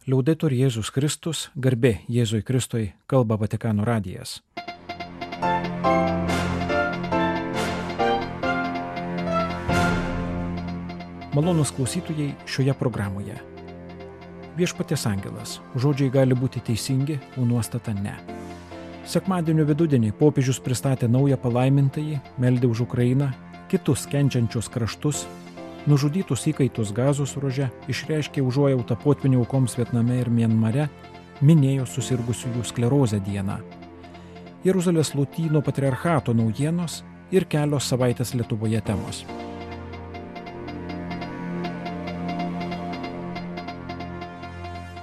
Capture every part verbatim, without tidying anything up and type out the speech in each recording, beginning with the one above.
Liaudetur Jėzus Kristus, garbė Jėzui Kristui, kalba Vatikano radijas. Malonūs klausytojai šioje programoje. Viešpaties angelas. Žodžiai gali būti teisingi, o nuostata ne. Sekmadienio vidudienį popiežius pristatė naują palaimintąjį, meldė už Ukrainą, kitus kenčiančius kraštus, nužudytus įkaitus Gazos ruože, išreiškė užuojautą potvynių aukoms Vietname ir Mianmare, minėjo susirgusiųjų sklerozę dieną. Jeruzalės Lotynų patriarchato naujienos ir kelios savaitės Lietuvoje temos.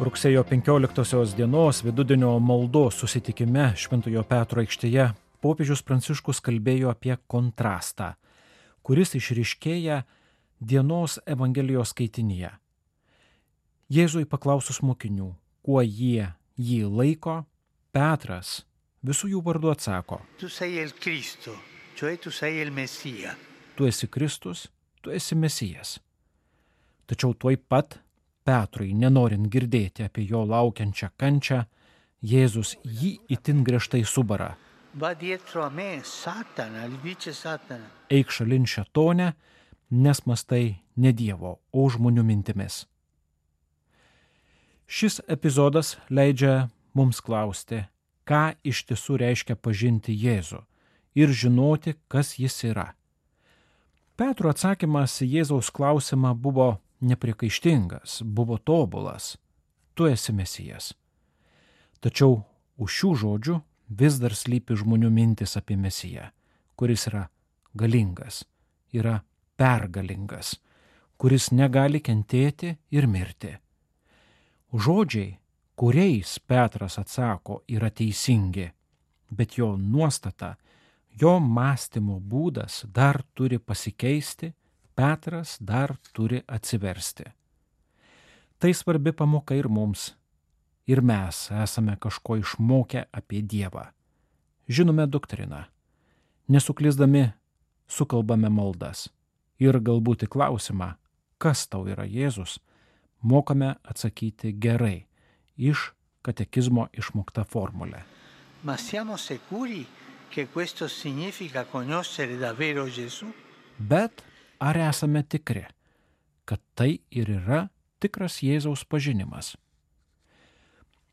Rugsėjo penkioliktosios dienos vidudienio maldos susitikime Šventojo Petro aikštėje popiežius Pranciškus kalbėjo apie kontrastą, kuris išryškėja dienos Evangelijos skaitinyje. Jėzui paklausus mokinių, kuo jie jį laiko, Petras visų jų vardu atsako: Tu sei il Cristo, cioè tu sei il Messia. Tu esi Kristus, tu esi Mesijas. Tačiau tuoj pat Petrui, nenorint girdėti apie jo laukiančią kančią, Jėzus jį itin griežtai subara. Va dietro a me, Satana, gli dice Satana. Eik šalin šėtone, nes mąstai ne Dievo, o žmonių mintimis. Šis epizodas leidžia mums klausti, ką iš tiesų reiškia pažinti Jėzų ir žinoti, kas jis yra. Petro atsakymas į Jėzaus klausimą buvo nepriekaištingas, buvo tobulas. Tu esi Mesijas. Tačiau už šių žodžių vis dar slypi žmonių mintis apie Mesiją, kuris yra galingas, yra pergalingas, kuris negali kentėti ir mirti. Žodžiai, kuriais Petras atsako, yra teisingi, bet jo nuostata, jo mąstymo būdas dar turi pasikeisti, Petras dar turi atsiversti. Tai svarbi pamoka ir mums, ir mes esame kažko išmokę apie Dievą. Žinome doktriną, nesuklysdami sukalbame maldas. Ir galbūt į klausimą, kas tau yra Jėzus, mokame atsakyti gerai, iš katekizmo išmokta formulė. Ma siamo sicuri che questo significa conoscere davvero Gesù? Bet ar esame tikri, kad tai ir yra tikras Jėzaus pažinimas?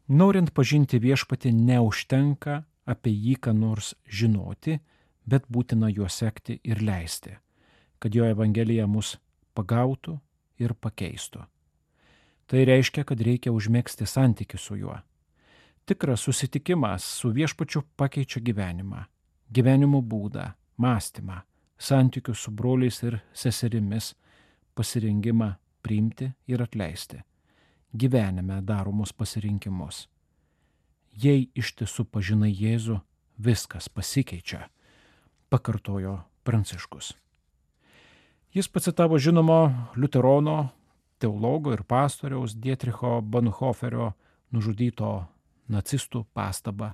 Norint pažinti viešpatį, neužtenka apie jį ką nors žinoti, bet būtina juo sekti ir leisti, kad jo Evangelija mus pagautų ir pakeistų. Tai reiškia, kad reikia užmegzti santykį su juo. Tikras susitikimas su viešpačiu pakeičia gyvenimą, gyvenimo būdą, mąstymą, santykius su broliais ir seserimis, pasirengimą priimti ir atleisti, gyvenime daromus pasirinkimus. Jei iš tiesų pažinai Jėzų, viskas pasikeičia, pakartojo Pranciškus. Jis pacitavo žinomo liuterono, teologo ir pastoriaus Dietricho Bonhoefferio nužudyto nacistų pastabą: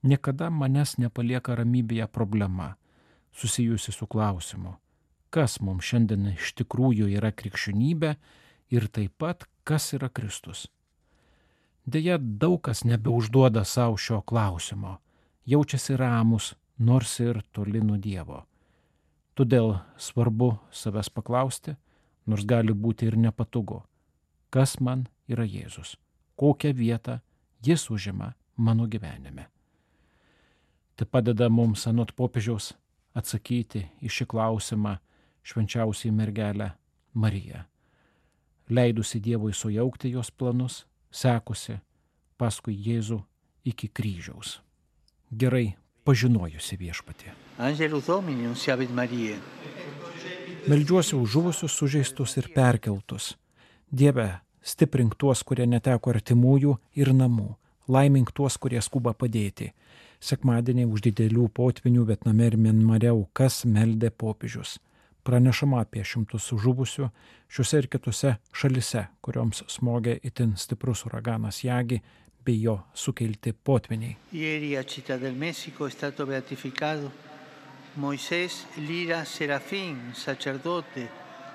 niekada manęs nepalieka ramybėje problema, susijusi su klausimu, kas mums šiandien iš tikrųjų yra krikščionybė ir taip pat, kas yra Kristus. Deja, daug kas nebeužduoda savo šio klausimo, jaučiasi ramus, nors ir toli nuo Dievo. Todėl svarbu savęs paklausti, nors gali būti ir nepatogu, kas man yra Jėzus, kokią vietą jis užima mano gyvenime. Tai padeda mums anot popiežiaus atsakyti į šį klausimą švenčiausiai mergelę Mariją, leidusi Dievui sujaukti jos planus, sekusi paskui Jėzų iki kryžiaus. Gerai pažinojusi viešpatį. Angelus Domini, nunciavit Mariae. Meldžiuosi už žuvusius, sužeistus ir perkeltus. Dieve, stiprink tuos, kurie neteko artimųjų ir namų. Laimink tuos, kurie skuba padėti. Sekmadienį už didelių potvinių Vietname ir Mianmare aukas meldė popiežius. Pranešama apie šimtus žuvusių šiuose ir kitose šalise, kurioms smogė itin stiprus uraganas Yagi bei jo sukelti potviniai. Ieri a Città del Messico è stato beatificato Moisés Lira Serafín, sacerdote,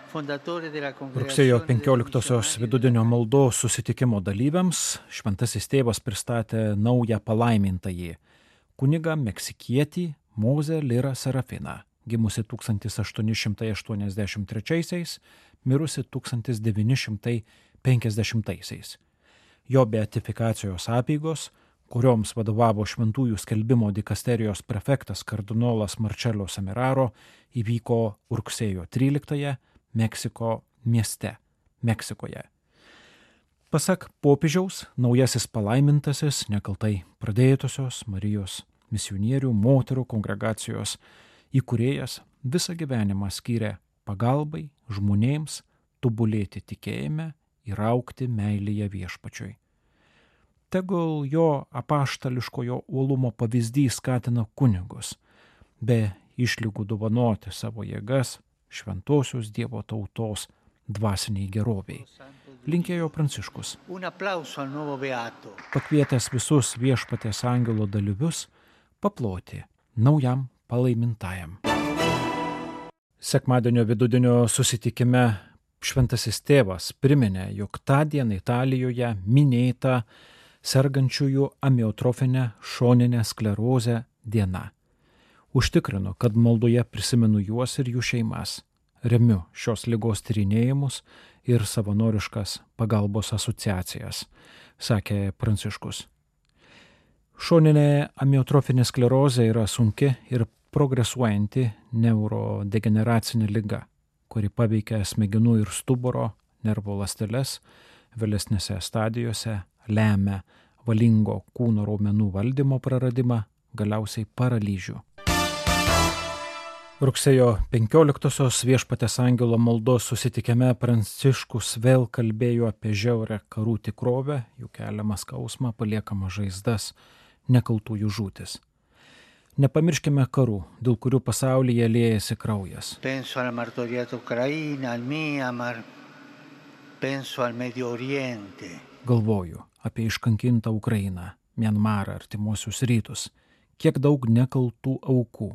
fondatore della Rugsėjo congregazione dei penkioliktosios missionari vidudienio della maldos susitikimo dalyviams šventasis tėvas pristatė naują palaimintąjį kunigą meksikietį Mozę Lirą Serafiną, gimusi tūkstantis aštuoni šimtai aštuoniasdešimt trečiaisiais, mirusi tūkstantis devyni šimtai penkiasdešimtaisiais. Jo beatifikacijos apeigos, kurioms vadovavo šventųjų skelbimo dikasterijos prefektas kardinolas Marcello Semeraro, įvyko rugsėjo tryliktąją Meksiko mieste, Meksikoje. Pasak popiežiaus, naujasis palaimintasis nekaltai pradėjusios Marijos misionierių moterų kongregacijos įkūrėjas visą gyvenimą skyrė pagalbai žmonėms tobulėti tikėjime ir augti meilėje viešpačiui. Tegul jo apaštališkojo uolumo pavyzdys skatina kunigus, be išlygų dovanoti savo jėgas šventosios Dievo tautos dvasiniai geroviai. Linkėjo Pranciškus. Un applauso al nuovo beato. Pakvietęs visus viešpaties angelo dalyvius paploti naujam palaimintajam. Sekmadienio vidudienio susitikime šventasis tėvas priminė, jog tą dieną Italijoje minėta sergančiųjų amiotrofinę šoninę sklerozę diena. Užtikrino, kad maldoje prisimenu juos ir jų šeimas, remiu šios ligos tyrinėjimus ir savanoriškas pagalbos asociacijas, sakė Pranciškus. Šoninė amiotrofinė sklerozė yra sunki ir progresuojanti neurodegeneracinė liga, kuri paveikia smegenų ir stuburo, nervų ląsteles, vėlesnėse stadijose lemia valingo kūno raumenų valdymo praradimą, galiausiai paralyžių. Rugsėjo penkioliktosios viešpaties angelo maldos susitikime Pranciškus vėl kalbėjo apie žiaurę karų tikrovę, jų keliamą skausmą, paliekamas žaizdas, nekaltųjų žūtis. Nepamirškime karų, dėl kurių pasaulyje liejasi kraujas. Penso alla martoriata Ucraina, al Myanmar, penso al Medio Oriente. Galvoju apie iškankintą Ukrainą, Mianmarą, artimuosius rytus, kiek daug nekaltų aukų.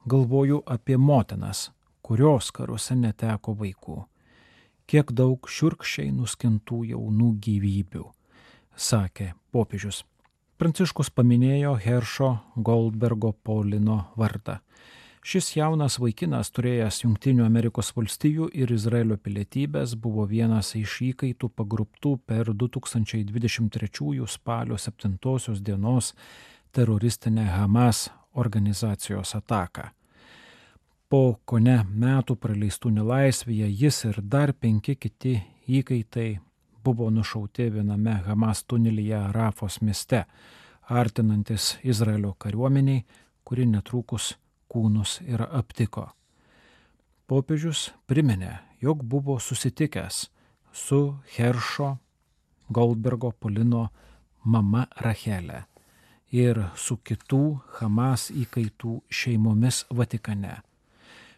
Galvoju apie motinas, kurios karuose neteko vaikų. Kiek daug šiurkščiai nuskintų jaunų gyvybių, sakė popiežius. Pranciškus paminėjo Heršo Goldbergo Paulino vardą. Šis jaunas vaikinas, turėjęs Jungtinių Amerikos valstijų ir Izraelio pilietybės, buvo vienas iš įkaitų pagrobtų per du tūkstančiai dvidešimt trečiųjų spalio septintosios dienos teroristinę Hamas organizacijos ataką. Po kone metų praleistų nelaisvėje jis ir dar penki kiti įkaitai buvo nušauti viename Hamas tunelyje Rafos mieste, artinantis Izraelio kariuomeniai, kuri netrukus kūnus ir aptiko. Popiežius priminė, jog buvo susitikęs su Heršo Goldbergo Paulino mama Rachelė ir su kitų Hamas įkaitų šeimomis Vatikane.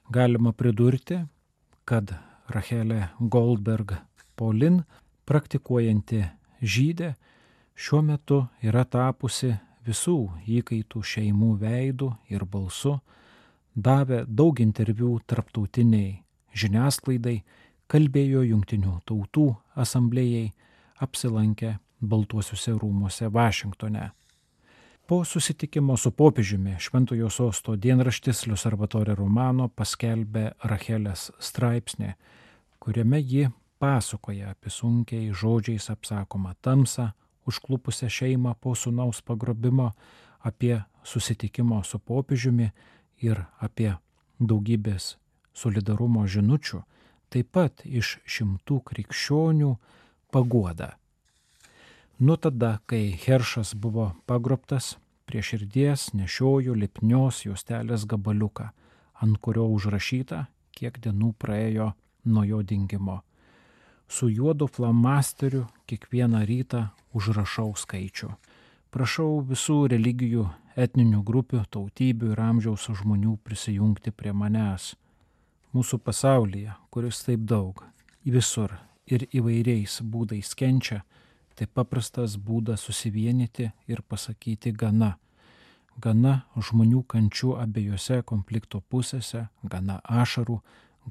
Galima pridurti, kad Rachelė Goldberg Paulin, praktikuojanti žydė, šiuo metu yra tapusi visų įkaitų šeimų veidų ir balsu, davė daug interviu tarptautiniai žiniasklaidai, kalbėjo Jungtinių tautų asamblėjai, apsilankė Baltuosiuose rūmuose Vašingtone. Po susitikimo su popiežiumi Šventojo sosto dienraštis L'Osservatore Romano paskelbė Rachelės straipsnį, kuriame ji pasakoja apie sunkiai žodžiais apsakomą tamsą, užklupusią šeimą po sūnaus pagrobimo, apie susitikimo su popiežiumi ir apie daugybės solidarumo žinučių, taip pat iš šimtų krikščionių paguodą. Nuo tada, kai Heršas buvo pagrobtas, prie širdies nešiojo lipnios juostelės gabaliuką, ant kurio užrašyta, kiek dienų praėjo nuo jo dingimo. Su juodu flomasteriu kiekvieną rytą užrašau skaičių. Prašau visų religijų, etninių grupių, tautybių ir amžiaus žmonių prisijungti prie manęs. Mūsų pasaulyje, kuris taip daug, visur ir įvairiais būdais kenčia, tai paprastas būdas susivienyti ir pasakyti gana. Gana žmonių kančių abiejose konflikto pusėse, gana ašarų,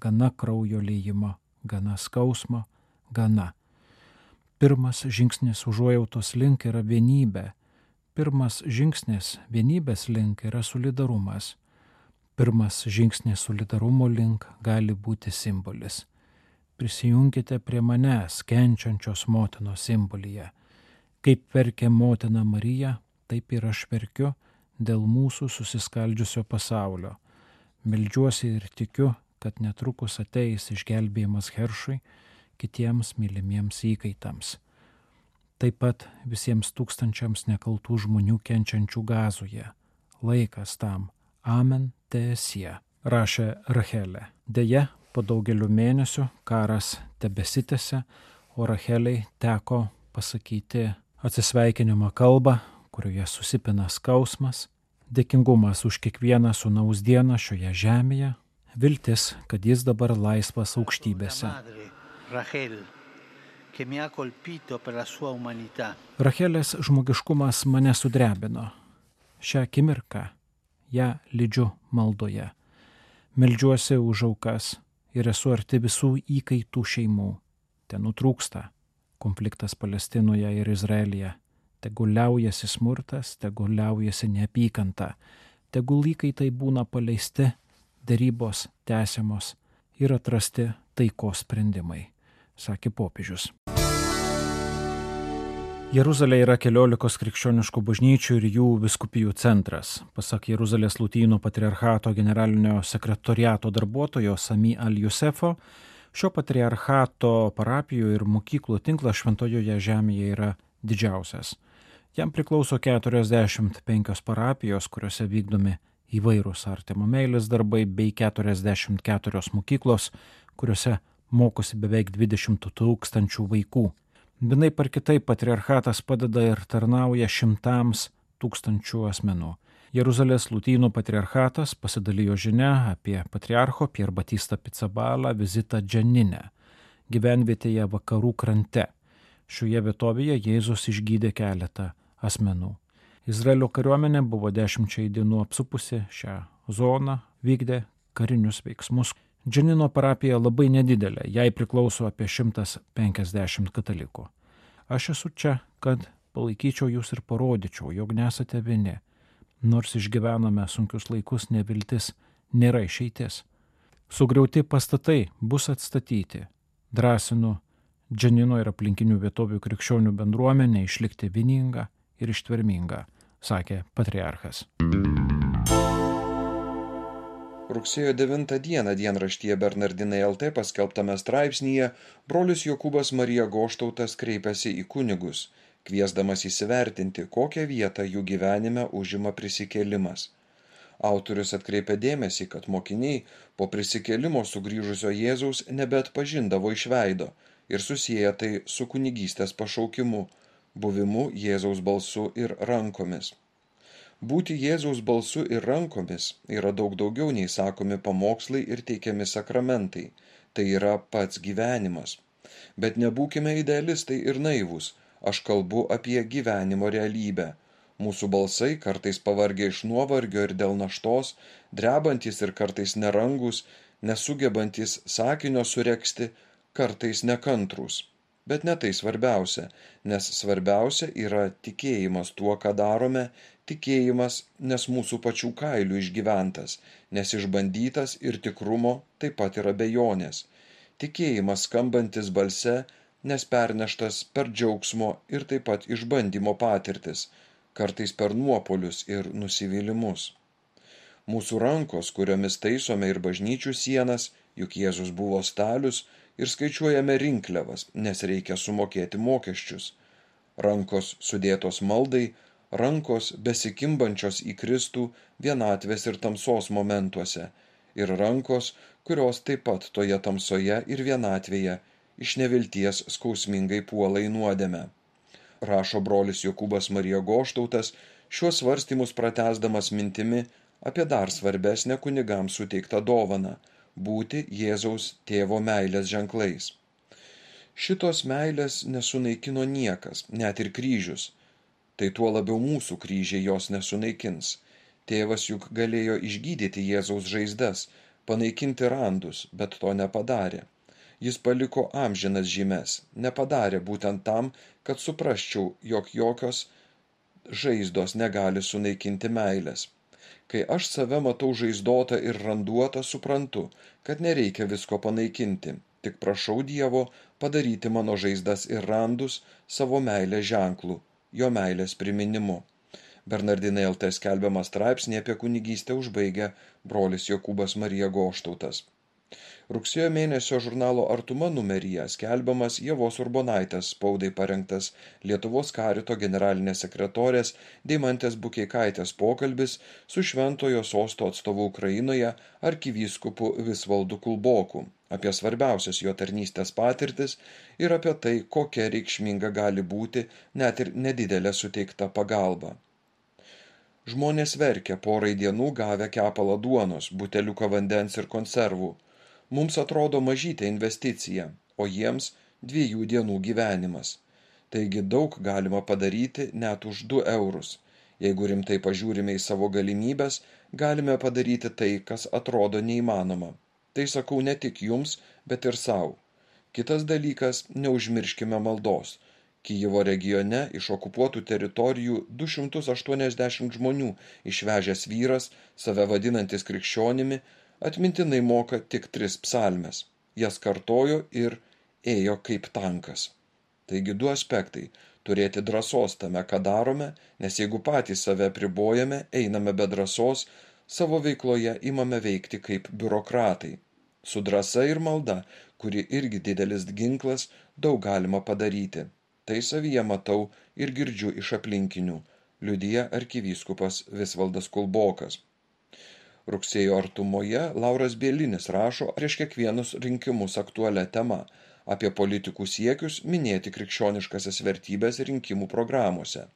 gana kraujo liejimo, gana skausmo, gana. Pirmas žingsnis užuojautos link yra vienybė. Pirmas žingsnis vienybės link yra solidarumas. Pirmas žingsnis solidarumo link gali būti simbolis. Prisijunkite prie manęs, kenčiančios motinos simbolyje. Kaip verkia motina Marija, taip ir aš verkiu dėl mūsų susiskaldžiusio pasaulio. Meldžiuosi ir tikiu, kad netrukus ateis išgelbėjimas Heršui, kitiems mylimiems įkaitams. Taip pat visiems tūkstančiams nekaltų žmonių kenčiančių Gazoje. Laikas tam. Amen teesie, rašė Rachelė. Deja, po daugelių mėnesių karas tebesitęsia, o Rachelei teko pasakyti atsisveikinimo kalbą, kurioje susipina skausmas, dėkingumas už kiekvieną sūnaus dieną šioje žemėje, viltis, kad jis dabar laisvas aukštybėse. Rachelės žmogiškumas mane sudrebino. Šią akimirką ją lydžiu maldoje. Meldžiuosi už aukas ir esu arti visų įkaitų šeimų. Ten nutrūksta konfliktas Palestinoje ir Izraelyje. Tegul liaujasi smurtas, tegul liaujasi neapykanta, tegul įkaitai būna paleisti, derybos tęsiamos ir atrasti taikos sprendimai, sakė popiežius. Jeruzalė yra keliolikos krikščioniškų bažnyčių ir jų vyskupijų centras. Pasak Jeruzalės Lotynų patriarchato generalinio sekretoriato darbuotojo Sami Al-Jusefo, šio patriarchato parapijų ir mokyklų tinklas Šventojoje žemėje yra didžiausias. Jam priklauso keturiasdešimt penkios parapijos, kuriuose vykdomi įvairūs artimo meilės darbai, bei keturiasdešimt keturios mokyklos, kuriuose mokosi beveik dvidešimt tūkstančių vaikų. Vienaip ar kitaip patriarchatas padeda ir tarnauja šimtams tūkstančių asmenų. Jeruzalės Lotynų patriarchatas pasidalijo žinia apie patriarcho Pier Batista Pizzaballa vizitą Dženine, gyvenvietėje vakarų krante. Šioje vietovėje Jėzus išgydė keletą asmenų. Izraelio kariuomenė buvo dešimčiai dienų apsupusi šią zoną, vykdė karinius veiksmus. Dženino parapija labai nedidelė, jai priklauso apie šimtas penkiasdešimt katalikų. Aš esu čia, kad palaikyčiau jūs ir parodyčiau, jog nesate vieni. Nors išgyvename sunkius laikus, neviltis nėra išeitis. Sugriauti pastatai bus atstatyti. Drąsinu Dženino ir aplinkinių vietovių krikščionių bendruomenę išlikti vieninga ir ištverminga, sakė patriarchas. Rugsėjo devintą dieną dienraštyje Bernardinai L T paskelbtame straipsnyje brolis Jokūbas Marija Goštautas kreipėsi į kunigus, kviesdamas įsivertinti, kokią vietą jų gyvenime užima prisikėlimas. Autorius atkreipė dėmesį, kad mokiniai po prisikėlimo sugrįžusio Jėzaus nebeatpažindavo iš veido ir susieja tai su kunigystės pašaukimu, buvimu Jėzaus balsu ir rankomis. Būti Jėzaus balsu ir rankomis yra daug daugiau nei sakomi pamokslai ir teikiami sakramentai, tai yra pats gyvenimas. Bet nebūkime idealistai ir naivūs, aš kalbu apie gyvenimo realybę. Mūsų balsai kartais pavargę iš nuovargio ir dėl naštos, drebantis ir kartais nerangus, nesugebantis sakinio suregzti, kartais nekantrūs. Bet ne tai svarbiausia, nes svarbiausia yra tikėjimas tuo, ką darome, tikėjimas, nes mūsų pačių kailių išgyventas, nes išbandytas ir tikrumo taip pat yra abejonės. Tikėjimas skambantis balse, nes perneštas per džiaugsmo ir taip pat išbandymo patirtis, kartais per nuopolius ir nusivylimus. Mūsų rankos, kuriomis taisome ir bažnyčių sienas, juk Jėzus buvo stalius, ir skaičiuojame rinkliavas, nes reikia sumokėti mokesčius. Rankos sudėtos maldai, rankos besikimbančios į Kristų vienatvės ir tamsos momentuose, ir rankos, kurios taip pat toje tamsoje ir vienatvėje iš nevilties skausmingai puola į nuodėmę. Rašo brolis Jokūbas Marija Goštautas, šiuos svarstymus pratęsdamas mintimi apie dar svarbesnę kunigams suteiktą dovaną – būti Jėzaus tėvo meilės ženklais. Šitos meilės nesunaikino niekas, net ir kryžius. Tai tuo labiau mūsų kryžiai jos nesunaikins. Tėvas juk galėjo išgydyti Jėzaus žaizdas, panaikinti randus, bet to nepadarė. Jis paliko amžinas žymes, nepadarė būtent tam, kad suprasčiau, jog jokios žaizdos negali sunaikinti meilės. Kai aš save matau žaizdotą ir randuotą, suprantu, kad nereikia visko panaikinti, tik prašau Dievo padaryti mano žaizdas ir randus savo meilės ženklų, jo meilės priminimu. Bernardinai L T skelbiamą straipsnį apie kunigystę užbaigia brolis Jokūbas Marija Goštautas. Rugsėjo mėnesio žurnalo Artuma numeryje skelbiamas Ievos Urbonaitės spaudai parengtas Lietuvos karito generalinės sekretorės Deimantės Bukeikaitės pokalbis su Šventojo Sosto atstovu Ukrainoje arkivyskupu Visvaldu Kulboku apie svarbiausias jo tarnystės patirtis ir apie tai, kokia reikšminga gali būti net ir nedidelė suteikta pagalba. Žmonės verkia porai dienų gavę kepalą duonos, buteliuką vandens ir konservų. Mums atrodo mažytė investicija, o jiems dviejų dienų gyvenimas. Taigi daug galima padaryti net už du eurus. Jeigu rimtai pažiūrime į savo galimybės, galime padaryti tai, kas atrodo neįmanoma. Tai sakau ne tik jums, bet ir savo. Kitas dalykas, neužmirškime maldos. Kijevo regione iš okupuotų teritorijų du šimtus aštuoniasdešimt žmonių išvežęs vyras, save vadinantis krikščionimi, atmintinai moka tik tris psalmes. Jas kartojo ir ėjo kaip tankas. Taigi du aspektai – turėti drąsos tame, ką darome, nes jeigu patys save pribojame, einame be drąsos, savo veikloje imame veikti kaip biurokratai. Su drąsa ir malda, kuri irgi didelis ginklas, daug galima padaryti. Tai savyje matau ir girdžiu iš aplinkinių, liudija arkivyskupas Visvaldas Kulbokas. Rugsėjo artumoje Lauras Bielinis rašo prieš kiekvienus rinkimus aktualią temą apie politikų siekius minėti krikščioniškasias vertybės rinkimų programuose.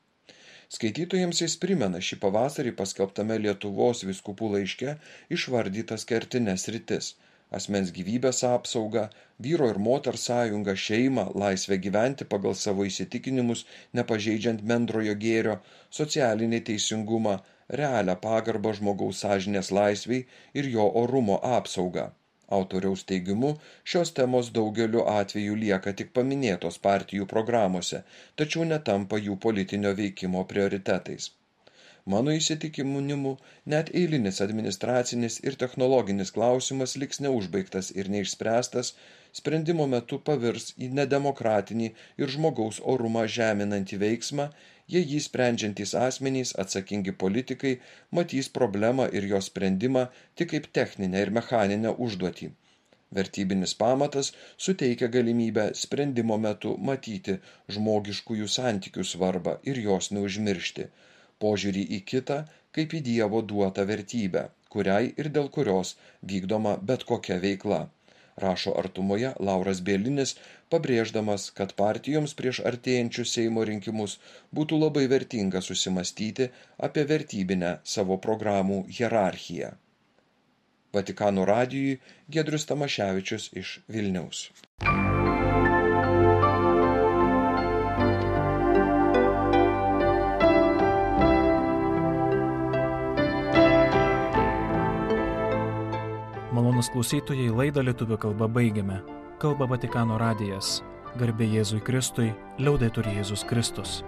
Skaitytojams jis primena šį pavasarį paskelbtame Lietuvos vyskupų laiške išvardytas kertines sritis – asmens gyvybės apsaugą, vyro ir moters sąjungą, šeimą, laisvę gyventi pagal savo įsitikinimus, nepažeidžiant bendrojo gėrio, socialinį teisingumą, realią pagarbą žmogaus sąžinės laisvei ir jo orumo apsaugą. Autoriaus teigimu, šios temos daugeliu atveju lieka tik paminėtos partijų programuose, tačiau netampa jų politinio veikimo prioritetais. Mano įsitikinimu, net eilinis administracinis ir technologinis klausimas liks neužbaigtas ir neišspręstas, sprendimo metu pavirs į nedemokratinį ir žmogaus orumą žeminantį veiksmą, jei jį sprendžiantys asmenys, atsakingi politikai, matys problemą ir jos sprendimą tik kaip techninę ir mechaninę užduotį. Vertybinis pamatas suteikia galimybę sprendimo metu matyti žmogiškųjų santykių svarbą ir jos neužmiršti, požiūrį į kitą kaip į Dievo duotą vertybę, kuriai ir dėl kurios vykdoma bet kokia veikla. Rašo Artumoje Lauras Bielinis, pabrėždamas, kad partijoms prieš artėjančius Seimo rinkimus būtų labai vertinga susimastyti apie vertybinę savo programų hierarchiją. Vatikano radijui Giedrius Tamaševičius iš Vilniaus. Malonūs klausytojai, laidą lietuvių kalba baigiame. Kalba Vatikano radijas. Garbė Jėzui Kristui, liaudetur Jėzus Kristus.